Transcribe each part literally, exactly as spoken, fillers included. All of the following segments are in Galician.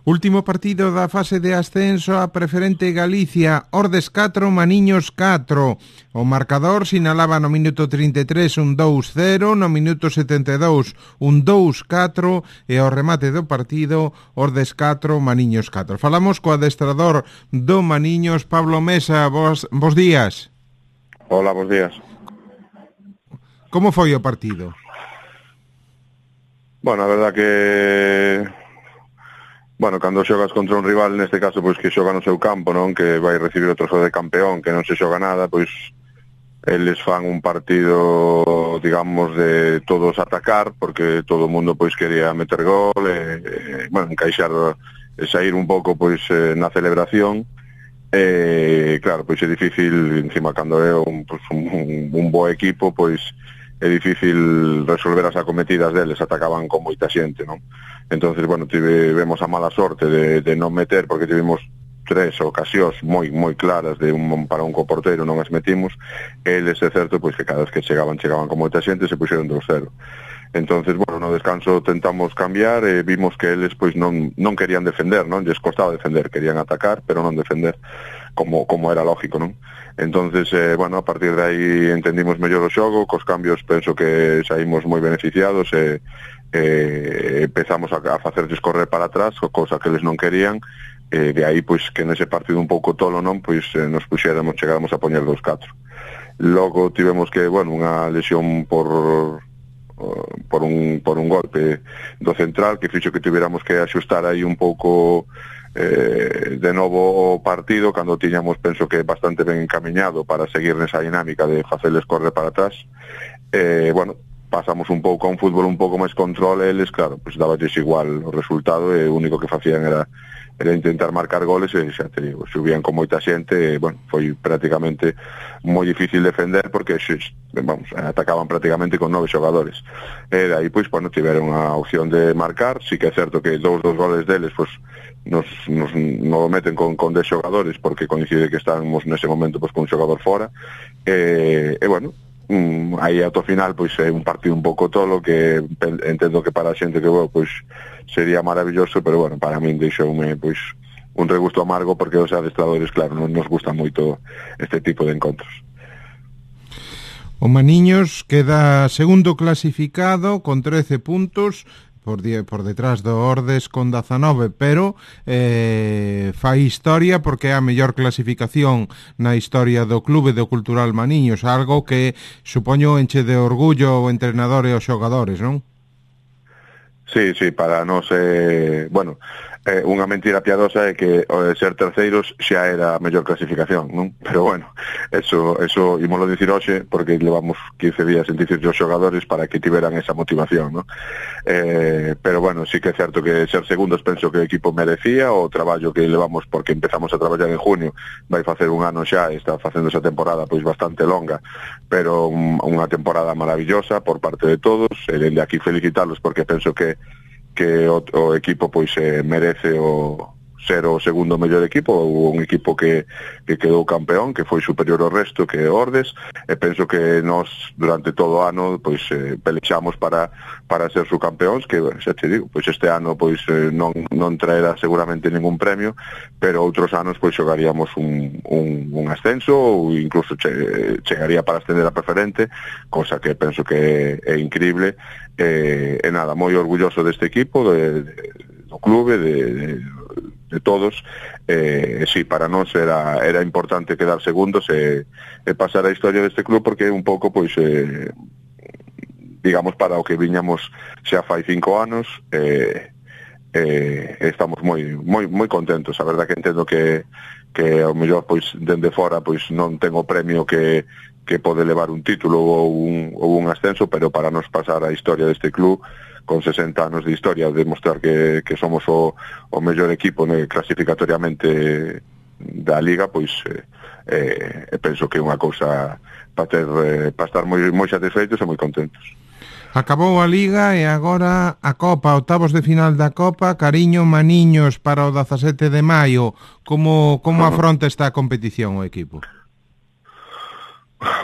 Último partido da fase de ascenso a Preferente Galicia, Ordes catro, Maniños catro. O marcador sinalaba no minuto trinta e tres un dous cero, no minuto setenta e dous un dous catro e ao remate do partido Ordes catro, Maniños catro. Falamos co adestrador do Maniños, Pablo Mesa. Bos, bos días. Hola, bos días. Como foi o partido? Bueno, a verdad que... Bueno, cando xogas contra un rival, neste caso, pois que xoga no seu campo, non? Que vai recibir o trozo de campeón, que non se xoga nada, pois eles fan un partido, digamos, de todos atacar, porque todo o mundo pois quería meter gol, e, e bueno, encaixar e sair un pouco pois na celebración. E claro, pois é difícil, encima cando é un, pois, un, un bo equipo, pois é difícil resolver as acometidas deles, atacaban con moita xente, non? Entonces, bueno, tivemos a mala sorte de, de non meter, porque tivemos tres ocasións moi moi claras de un para un coporteiro, non as metimos. Eles, é certo, pois que cada vez que chegaban, chegaban con moita xente, se puxeron dous cero. Entonces, bueno, no descanso tentamos cambiar e vimos que eles pois non non querían defender, non? Lles costaba defender, querían atacar, pero non defender, como como era lógico, non? Entonces, eh, bueno, a partir de aí entendimos mellor o xogo, cos cambios penso que saímos moi beneficiados e eh, empezamos a, a facerles correr para atrás, cosa que eles non querían, e de aí, pois, que nese partido un pouco tolo, non, pois eh, nos puxéramos, chegáramos a poñer dous catro. Logo tivemos que, bueno, unha lesión por... por un por un golpe do central que fixo que tuviéramos que axustar aí un pouco eh, de novo o partido, cando tiñamos, penso que bastante ben encamiñado para seguir nesa dinámica de facerles correr para atrás. Eh, bueno, pasamos un pouco a un fútbol un pouco máis control, eles, claro, pues daballes igual o resultado e o único que facían era era intentar marcar goles e xa te digo, subían con moita xente e, bueno, foi prácticamente moi difícil defender porque, vamos, atacaban prácticamente con nove xogadores. E de aí, pois, bueno, tiveron a opción de marcar, sí que é certo que dous dos goles deles, pois, nos, nos, nos meten con, con dez xogadores porque coincide que estábamos nese momento, pois, con un xogador fora. E, e bueno, Um, aí ao final pois é un partido un pouco tolo que entendo que para a xente que vou pois sería maravilloso, pero bueno, para min deixoume pois un regusto amargo porque os adestradores, claro, non nos gusta moito este tipo de encontros. O Maniños queda segundo clasificado con trece puntos por, por detrás do Ordes con dezanove, pero eh, fai historia porque é a mellor clasificación na historia do clube do Cultural Maniños, algo que supoño enche de orgullo o entrenador e os xogadores, non? Sí, sí, para nós é, bueno, eh, unha mentira piadosa é que o de ser terceiros xa era a mellor clasificación, non? Pero bueno, eso, eso ímolo dicir hoxe porque levamos quince días en dicir os xogadores para que tiveran esa motivación, non? Eh, pero bueno, sí que é certo que ser segundos penso que o equipo merecía o traballo que levamos porque empezamos a traballar en junio, vai facer un ano xa e está facendo esa temporada pois bastante longa, pero un, unha temporada maravillosa por parte de todos, e dende aquí felicitarlos porque penso que que o, o equipo pois eh, merece o ser o segundo mellor equipo, ou un equipo que, que quedou campeón, que foi superior ao resto, que é Ordes, e penso que nós durante todo o ano pois eh, pelexamos para para ser subcampeóns, que xa te digo, pois este ano pois eh, non non traerá seguramente ningún premio, pero outros anos pois xogaríamos un, un, un ascenso ou incluso che, chegaría para ascender a Preferente, cosa que penso que é, é increíble. E, e nada, moi orgulloso deste equipo, de, de, do clube, de, de, de todos. E, e sí, para nós era, era importante quedar segundos e, e pasar a historia deste club porque un pouco, pois, eh, digamos, para o que viñamos xa fai cinco anos, e, e estamos moi moi moi contentos. A verdad que entendo que que ao mellor, pois, dende fora, pois non ten o premio que que pode levar un título ou un, ou un ascenso, pero para nos pasar a historia deste club con sesenta anos de historia, demostrar que, que somos o, o mellor equipo né, clasificatoriamente da Liga, pois eh, eh, penso que é unha cousa para ter eh, para estar moi, moi satisfeitos e moi contentos. Acabou a Liga e agora a Copa, octavos de final da Copa, Cariño Maniños para o dezasete de maio. Como, como afronta esta competición o equipo?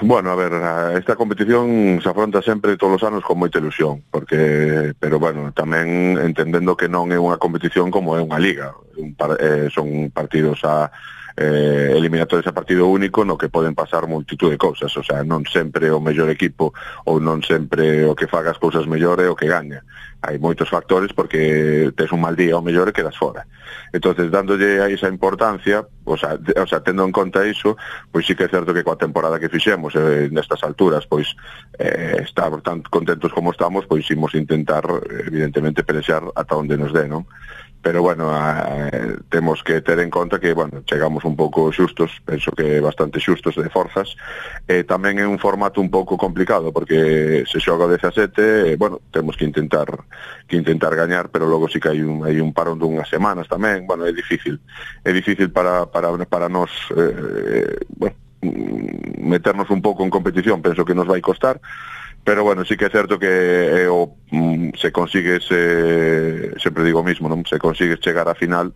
Bueno, a ver, esta competición se afronta sempre todos os anos con moita ilusión, porque, pero bueno, tamén entendendo que non é unha competición como é unha liga, un par, eh, son partidos a eh, eliminatorios a partido único no que poden pasar multitud de cousas, o sea, non sempre o mellor equipo ou non sempre o que faga as cousas mellor é o que gaña. Hai moitos factores porque tes un mal día o mellor e quedas fora. Entonces, dándolle a esa importancia, o sea, de, o sea, tendo en conta iso, pois sí que é certo que coa temporada que fixemos eh, nestas alturas, pois eh, estar tan contentos como estamos, pois imos intentar, evidentemente, pelexar ata onde nos dé, non? Pero, bueno, eh, temos que ter en conta que, bueno, chegamos un pouco xustos, penso que bastante xustos de forzas, e eh, tamén é un formato un pouco complicado, porque se xoga o dezasete, eh, bueno, temos que intentar que intentar gañar, pero logo sí que hai un, hai un parón dunhas semanas tamén, bueno, é difícil, é difícil para, para, para nós, eh, bueno, meternos un pouco en competición, penso que nos vai costar, pero bueno, sí que é certo que eh, o, mm, se consigues, eh, sempre digo o mismo, non? Se consigues chegar á final,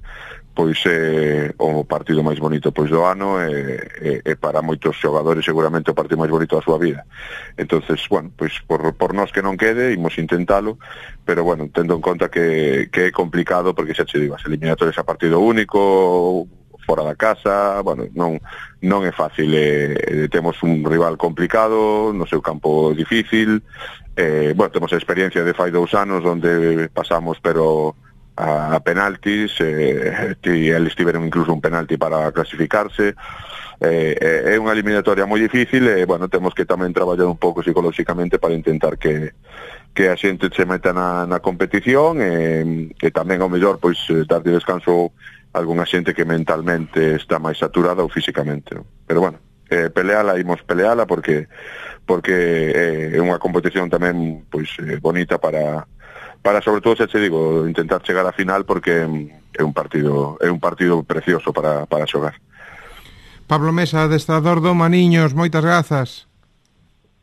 pois é eh, o partido máis bonito pois do ano e eh, eh, para moitos xogadores seguramente o partido máis bonito da súa vida. Entonces, bueno, pois por, por nós que non quede, imos intentalo, pero bueno, tendo en conta que, que é complicado, porque xa che digo, as eliminatorias a partido único, fora da casa, bueno, non non é fácil, eh, temos un rival complicado, no seu campo difícil, eh, bueno, temos a experiencia de fai dous anos onde pasamos pero a, a penaltis, eh, e eles tiveron incluso un penalti para clasificarse, eh, é unha eliminatoria moi difícil e, bueno, temos que tamén traballar un pouco psicolóxicamente para intentar que que a xente se meta na, na competición e, e tamén ao mellor pois dar de descanso algunha xente que mentalmente está máis saturada ou físicamente. Pero bueno, eh, peleala, imos peleala porque porque eh, é unha competición tamén pois eh, bonita para para sobre todo, xa te digo, intentar chegar á final porque é un partido é un partido precioso para para xogar. Pablo Mesa, adestrador do Maniños, moitas grazas.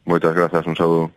Moitas grazas, un saúdo.